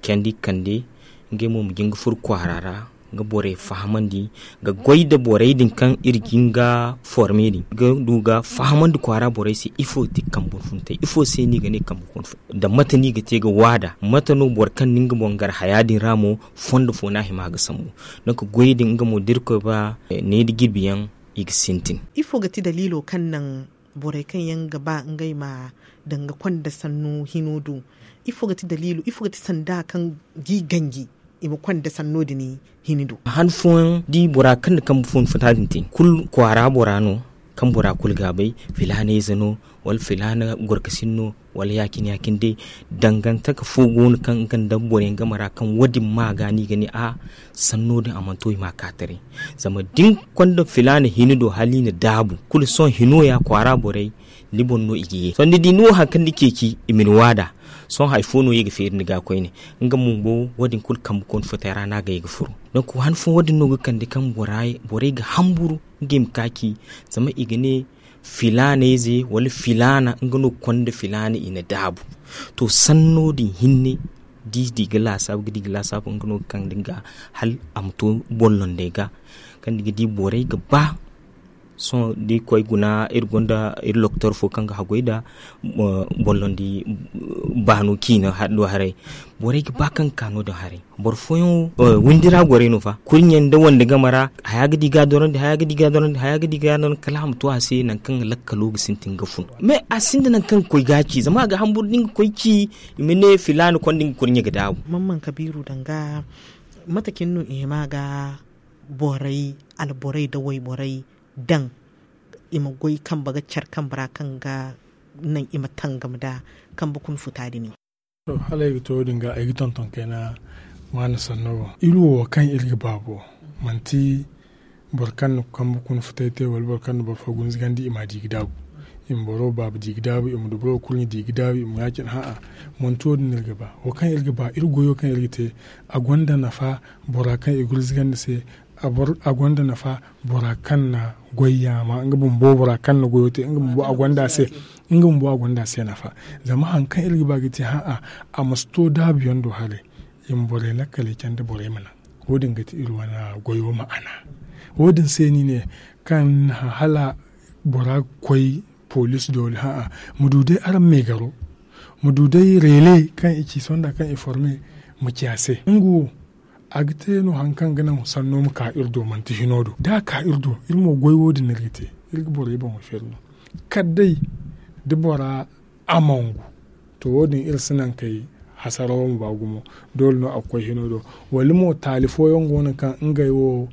candi ga kande. Ngey mo ma jin ga furo kwaara ra ga borey fahamandi, ga goy nda borey din kaŋ iri ga hin ga forme din ga du ga fahamandi kwaara borey se ifo ga ti kambe fun fata yaŋ, ifo se no i ga ne kambe fun fata yaŋ, nda mate no i ga te ga waada mate no boro kaŋ na nga boŋ gar haya din ra mo fondo fo no a hima ga sambu. Donk goy din nga mo da irkoy ba ne nda jirbi yaŋ i ga sintin. Ifo ga ti daliilo kaŋ naŋ borey kaŋ yaŋ ga ba ngey ma danga konda sannu hino do? Ifo ga ti daliilo ifo ga ti sanda kaŋ g'i ganji i ma konda sanno din hini do? Han fooyaŋ da i bora kaŋ na kambe fun fata din te kulu kwaara bora no, kaŋ bora kulu ga a bay filaana ize no, wala filaana gorkasin no, wala ya- cine ya- cine day. Dangantaka fo go no kaŋ nga nda boro yaŋ game ra kaŋ wo- din ma ga no i ga ne a sanno din a mana to i ma a ka taray. Zama da ni konda filaana hini do hala i na daabu kulu sohõ hino ya kwaara borey ni boŋ no i ga ye sohõ ni di ni wo hari kaŋ ni ceeci i ma ni waada. Sohõ hari fo no i ga feeri ni ga koyne. Nga bumbo wo- din kulu kambe kooni futay ra no a ga ye ga furo. Donk han fooyaŋ wo- din no ga kande kaŋ borey ga hamburu ngey ma ka ci zama i ga ne filaana ize wala filaana nga no ga konda filaana i na daabu. To sanno din hinne da i di ga laasaabu ga di ga laasaabu nga no ga kande nga hala a ma to bollondey ga kaŋ ni ga di borey ga ba. Sohõ da i koy guna iri gonda iri lokotor fo kaŋ ga haggoy nda bollondi baano ciina do haray. Borey ga ba kaŋ ga ka no- din haray. Boro fooyaŋ wo windi ra gorey no fa kurɲe nda wande game ra haya ga di ga a dorandi haya ga di ga a dorandi haya ga di ga a dorandi kala a ma to a se nangu kaŋ lakkalo ga sintin ga fun. Mais a sinda nangu kaŋ ga koy ga a ci zama a ga hamburu da nga koy ci i ma ne filaana konda nga kurɲe ga daabu. Mamman kabiiru danga mate cine no i hima ga borey alborey nda wayborey daŋ i ma goy kambe ga care kambe ra kaŋ ga naŋ i ma tangam nda kambe kuna futa din. Hala ay ga to wo- din ga ay ga tonton kayna waani sanno boŋ iri wo kaŋ iri ga ba bo manti boro kaŋ na kambe kuna futay te wala boro kaŋ na boro fo gunzugandi i ma a di ga daabu. I ma boro baaba di ga daabu i ma duburo kurɲe di ga daabu i ma ya- cine ha'a. Manti wo- din no iri ga ba wo kaŋ iri ga ba iri goyo kaŋ iri ga te a gonda nafa bora kaŋ i gurzuga nda se. A gonda nafa bora kaŋ na goy yaama nga bumbo bora kaŋ na goyo te nga bumbo a gonda a se. Nga bumbo a gonda a se nafa. Zama hari kaŋ iri ga ba ga te ha'a a ma si to daabu yaŋ do haray. I ma borey lakkaley candi borey ma naŋ wo- din ga ti iri wane goyo ma'ana. Wo- din se no i ne kaŋ hala bora ga koy poliisi doole ha'a ma du day araŋ meegaro ma du day reele kaŋ i ci sonda kaŋ i forme ma ci a se nga wo a ga te no hari kaŋ ga naŋ sanno ma ka iri do manti hino do da a ka iri do iri mo goy wo- din no iri ga te. Iri ga borey boŋo feeri no kala day da bora a mangu to wo- din iri si naŋ kay hasara wo ma ba gumo. Doole no a ga koy hino do wala mo taali fooyaŋ go no kaŋ ngey wo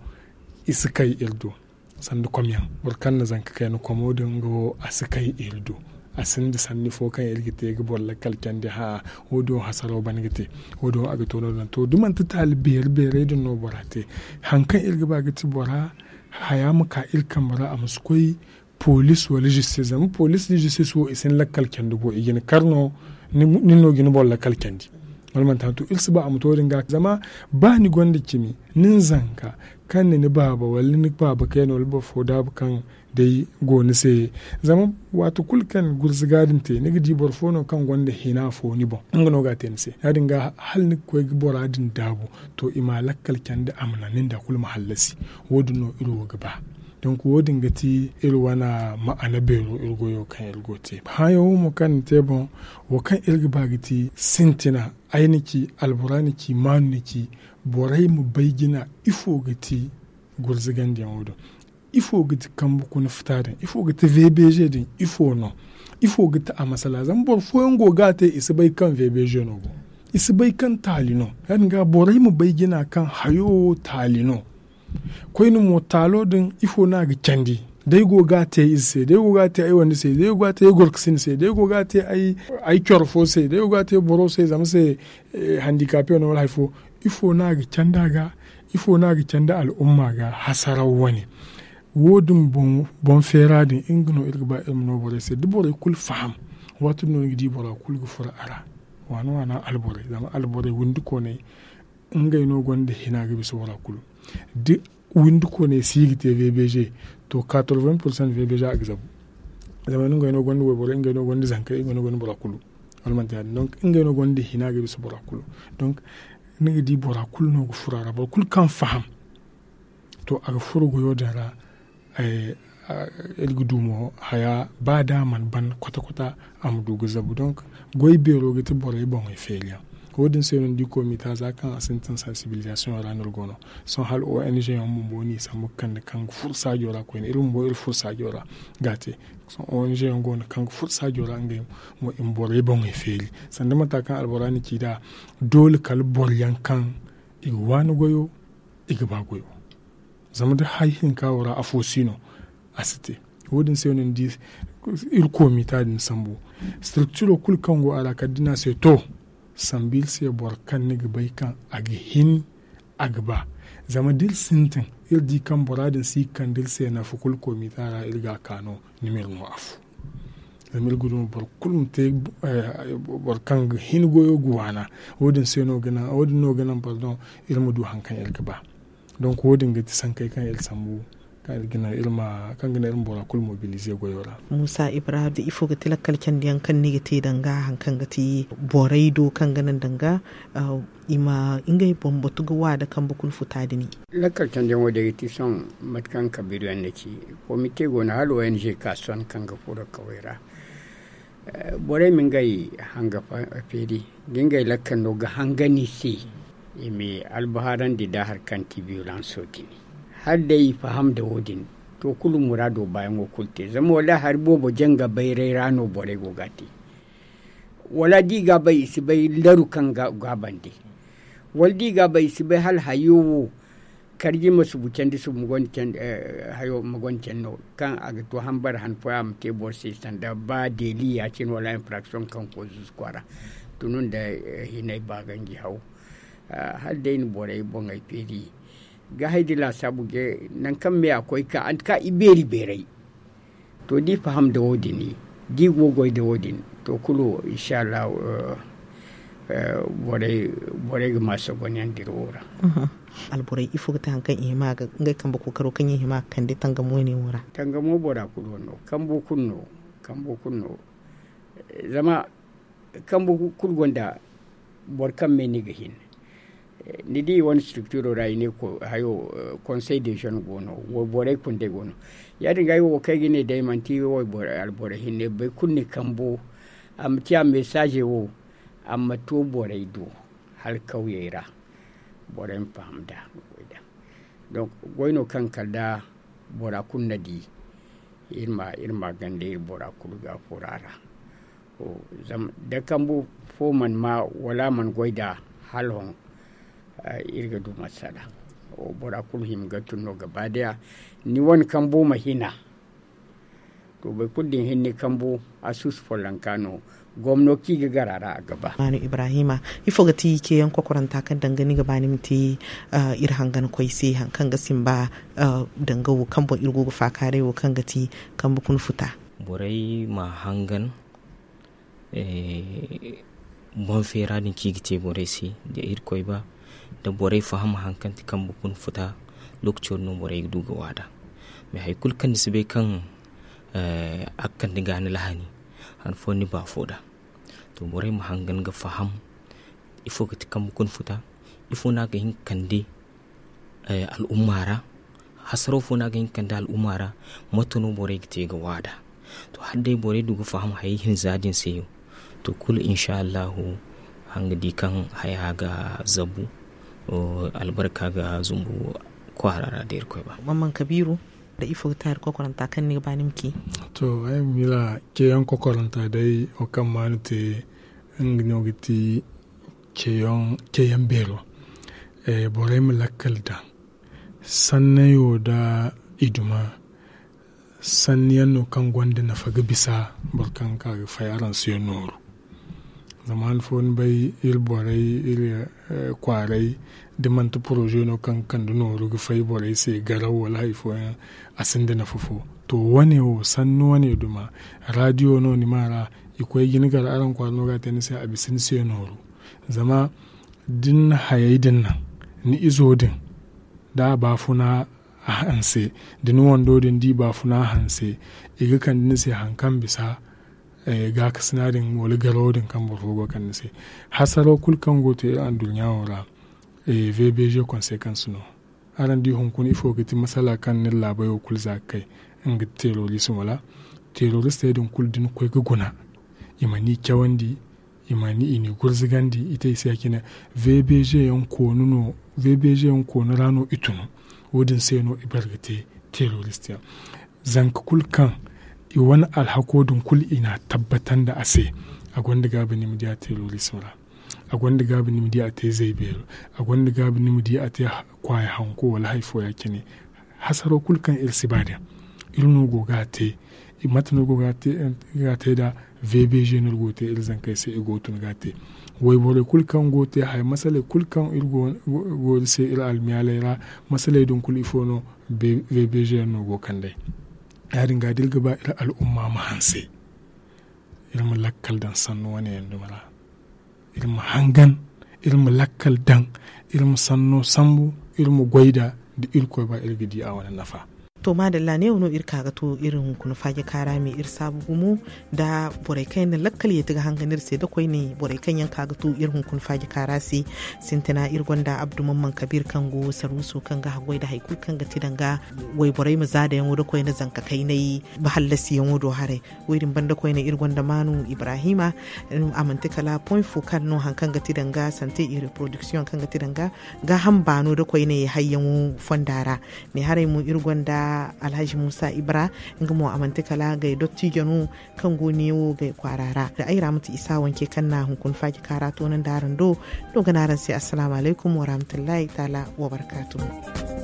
i si kay iri do sanda komyaŋ boro kaŋ na zanka kayna komo din nga wo a si kay iri do. A sinda sanni fo kaŋ iri ga te ga boro lakkal candi ha'a wo- din wo hasaro ban ga te. Wo- din wo a ga to no- din to da manti taali beeri beerey din no bora te hari kaŋ iri ga ba ga ti bora haya ma ka iri kambe ra a ma si koy poliisi wala zistis zama poliisi da zistis wo i si ni lakkal candi bo i ga ni kar no. Nin no ga ni boro lakkal candi wala manti hantu iri si ba a ma to din ga zama ba ni gonda cimi nin zanka kaŋ ni ni baaba wala ni baaba kayna wala boro fo daabu kaŋ day go ni se. Zama waati kulu kaŋ gurzuga din te ni ga di boro fo no kaŋ gonda hina fo ni boŋ nga no ga a te ni se ya- din ga hala ni ga koy ga bora din daabu. To i ma lakkal candi a ma naŋ nin da kulu ma hallasi. Wo- din no iri wo ga ba Donk wo- din ga ti iri wane ma'ana beero iri goyo kaŋ iri go ga te. Hããyaŋo mo kaŋ ni te boŋ, wo kaŋ iri ga ba ga ti sintina, ay na ci, albora na ci, maanu na ci, borey ma bay jina ifo ga ti gurzugandiyaŋo din. Ifo ga ti kambe kuna futa din? Ifo ga ti vbg din? Ifo no? Ifo ga ti a masala? Zama boro fooyaŋ go ga a te, i si bay kaŋ vbg no go. I si bay kaŋ taali no. Ya- din ga borey ma bay jina kaŋ hayo wo taali no. Koyne mo, taalo din, ifo no a ga candi? Day go ga a te ize se, day go ga a te ay wande se, day go ga a te ay gorkasin se, day go ga a te ay coro fo se, day go ga a te boro se, zama se handikape no wala hari fo. Ifo no a ga candi a ga? Ifo no a ga candi al'umma ga hasaraw wane? Wo- din boŋ feera din, nga no iri ga ba iri ma no borey se da borey kulu faham. Waati din no ni ga di bora kulu ga furo a ra. Waana waana alborey, zama alborey windi kooney, ngey no gonda hina ga bisa bora kulu. Da windi kooney si ga te vbg, to, quatre-vingts pour cent vbg a ga zabu. Zama ngey no gonda wayborey, ngey no gonda zankey, ngey no gonda bora kulu. Wala manti ya- din? Donk ngey no gonda hina ga bisa bora kulu. Donk ni ga di bora kulu no ga furo a ra, boro kulu kaŋ faham, to, a ga furo goyo din ra. Iri ga du mo haya, ba da a mana ban kwata-kwata, a ma du ga zabu. Donk goy beero ga ti borey boŋey feeriyaŋ. Wo- din se no ni di komita za kaŋ a sintin sansibilizasiyoŋ ra no iri go no. Sohõ hala ong yaŋ bumbo no i sambu ga kande kaŋ ga furo saajo ra koyne, iri bumbo iri furo saajo ra ga a te. Sohõ ong yaŋ go no kaŋ ga furo saajo ra ngey mo i ma borey boŋey feeri. Sanda mata kaŋ albora na ci nd'a, doole kala boroyaŋ kaŋ i ga waani goyo, i ga ba goyo. Zama da hari hinka wo ra afo si no, a si te. Wo- din se no ni di iri komita din sambu. Strukturo kulu kaŋ go a ra kala da ni a se to, sambu iri se boro kaŋ ni ga bay kaŋ a ga hin, a ga ba. Zama da iri sintin, iri di kaŋ bora din si ga kande iri se nafa kulu komita ra, iri ga a ka no, ni ma iri no afo. Zama iri ga du mo boro kulu ma te boro kaŋ ga hin goyo ga waana. Wo- din se no ga naŋ, wo- din no ga naŋ pardon, iri ma du hari kaŋ iri ga ba. Donk wo- din ga ti sankey kaŋ iri sambu, kaŋ iri ga naŋ iri ma, kaŋ ga naŋ iri ma bora kulu mobilize goyo ra. Musa Ibrahim, da ifo ga ti lakkal candiyaŋ kaŋ ni ga te danga hari kaŋ ga ti borey do kaŋ ga naŋ danga i ma ngey bambatu ga wa da kambe kuna futa din? Lakkal candiyaŋo day ga ti sohõ mate kaŋ kabiiru yaŋ na ci. Komite go no hala ong ka sohõ kaŋ ga furo kawey ra. Borey ma ngey hanga feeri, da ngey lakkal no ga hangan i se, i ma albahaarandi nda hari kaŋ ti biyolanso din. Hala day i faham nda wo- din, to, kulu muraado baayaŋo kulu te. Zama wallaahi hari boobo janga bayray ra no borey go ga a te. Wala da i ga a bay, i si bay laru kaŋ ga a bande. Wala da i ga a bay, i si bay hala hayo wo karji ma subu candi subu ma gonda candi, hayo ma gonda candi no kaŋ a ga to hambara han fooyaŋ a ma te boro se sanda ba deeli ya- cine wala infraction kaŋ koy zuzu kwaara. Tunu nda hinay ba ganji haw. Hala day na borey boŋey feeri ga hay da laasaabu ga nangu kaŋ me a koy ka anti ka i beeri beeray. To da i faham nda wo- din, da i go ga goy nda wo- din, to kulu inshallah borey ga ma sogonyaŋ dira wo ra. Alborey ifo ga ti hari kaŋ i hima ga ngey kambe kookaro kaŋ i hima ga kande tangamo ne wo ra? Tangamo bora kulu no, kambo kulu no. Kambo kulu no. Zama kambo kulu gonda boro kaŋ me ni ga hin. Ni di wane structuro ra i ne hayo, conseil de jeune go no, wayborey kundey go no. Ya- din ga ay wo kaŋ ay ga ne day manti wayboro alborey hinne boro kulu ni kambo. A ma ciya message wo a ma to borey do hala kawyey ra. Borey ma faham nda. Donc goy no kaŋ kala da bora kulu na di. Iri ma iri ma ganda iri bora kulu ga furo a ra. Zama da kambu fo mana ma wala a mana goy nd'a hala hõ. Iri ga du masala. Bora kulu hima ga tun no gaba daya. Ni wane kambu ma hina. To boro kulu din hinne kambu a suusu follonka no. Gomno kaŋ i ga gar a ra a ga ba. Maanu ibrahima, ifo ga ti ceeyaŋ kokoranta kaŋ danga ni ga ba ni ma te iri hangan koy se hari kaŋ ga simba? Danga wo kaŋ boŋ iri go ga faakaaray wo kaŋ ga ti kambe kuna futa. Borey ma hangan boŋ feera din kaŋ i ga te borey se da irkoy ba. Da borey faham hari kaŋ ti kambe kuna futa, lookaco din no borey ga du ga waada. Mais hari kulu kaŋ ni si bay kaŋ a ga kande ga ni lahani, han fooyaŋ ni ba fo nd'a. To borey ma hangan ga faham ifo ga ti kambe kuna futa, ifo no a ga hin ga kande al'umma ra. Hasaro fo no a ga hin ga kande al'umma ra? Mate no borey ga te ga waada? To, hala day borey du ga faham hayey hinza din se yaŋ, to, kulu insa allahu, a ga di kaŋ haya ga zabu. Albarka ga zumbu kwaara ra da irkoy ba. Mamman kabiiru, da ifo ga te hari kokoranta kaŋ ni ga ba ni ma ci? To, ay ma miila ceeyaŋ kokoranta day wo kaŋ maanu te, nga no ga ti ceeyaŋ beero. Borey ma lakkal daŋ sannayo nda i duma. Sanni yaŋ no kaŋ gonda nafa ga bisa boro kaŋ ga ka ga fay araŋ se nooru. Zama han fo ni bay, iri borey, iri kwaaray, da manti poroze no kaŋ ga kande nooru ga fay borey se garaw wala hari fooyaŋ, a sinda nafa fo. To, wane wo sanni wane duma, raadiyo no ni maa ra, i koy ga ni gar araŋ kwaara no ga a te ni se a bisa ni se nooru. Zama da ni na hayey din naŋ, ni izo din, da a baafuna a hanse, da ni wando din da i baafuna a hanse, i ga kande ni se hari kaŋ bisa gaakasina din wala garawo din kaŋ boro fo go ga kande ni se. Hasaro kulu kaŋ go ga te iri anduɲɲa wo ra, vbg konsekans no. Araŋ di hunkuna ifo ga ti masala kaŋ ni laabay wo kulu za ga kay? Nga ga ti terorism wala? Teroristey din kulu da ni koy ga guna, i ma ni cawandi, i ma ni i ni gurzugandi, i te i se ya cine. Vbg yaŋ koonu no, vbg yaŋ koonu ra no i tunu. Wo- din se no i bare ga te terorist yaŋ. Zanka kulu kaŋ i wane alhako din kulu i n'a tabbatandi a se, a gonda gaabi ni ma di a terorist ra. A gonda gaabi ni ma di a te zaybeero. A gonda gaabi ni ma di a te kwaaya hanko wala hari fo ya cine. Hasaro kulu kaŋ iri si ba din, iri no go ga a te. Mate no go ga a te nda vbg no iri go ga te iri zankey se i go ga tun ga a te. Wayborey kulu kaŋ go ga te haya masaley kulu kaŋ iri go iri se iri almiyaaley ra, masaley din kulu ifo no? Vbg yaŋ no go ga kand'ey. Ya- din ga da iri ga ba iri al'umma ma hanse, iri ma lakkal daŋ sannu wane yaŋ dumi ra. Iri ma hangan, iri ma lakkal daŋ, iri ma sanno sambu, iri ma goy nd'a. Da irkoy ba iri ga di a wane nafa. To maadalla, neewo no iri ka ga to iri hunkuna faaji kaara me iri saabu gumo nda borey kaŋ yaŋ na lakkal yeeti ga hangan iri se da koyne borey kaŋ yaŋ ka ga to iri hunkuna faaji kaara se. Sintina iri gonda abdu mamman kabiir kaŋ go sarwiso kaŋ ga haggoy nda hari kulu kaŋ ga ti danga wayborey ma zaadayaŋo nda koyne zanka kaynay, ba hallasiyaŋo do haray. Wo- din banda koyne iri gonda maanu ibrahima. A manti kala point focal no hari kaŋ ga ti danga sante et reproduction kaŋ ga ti danga gaaham baano nda koyne hayyaŋo fonda ra. Ne haray mo iri gonda alhaji muusa ibra, nga mo a manti kala gay dottijo no kaŋ go neewo gay kwaara ra. Da ay ra ma ti isa wanke kaŋ na hunkuna faaji kaara toonandi araŋ do. No ga ne araŋ se assalaamu alaykum warahmatullahi taala wabarkaatu.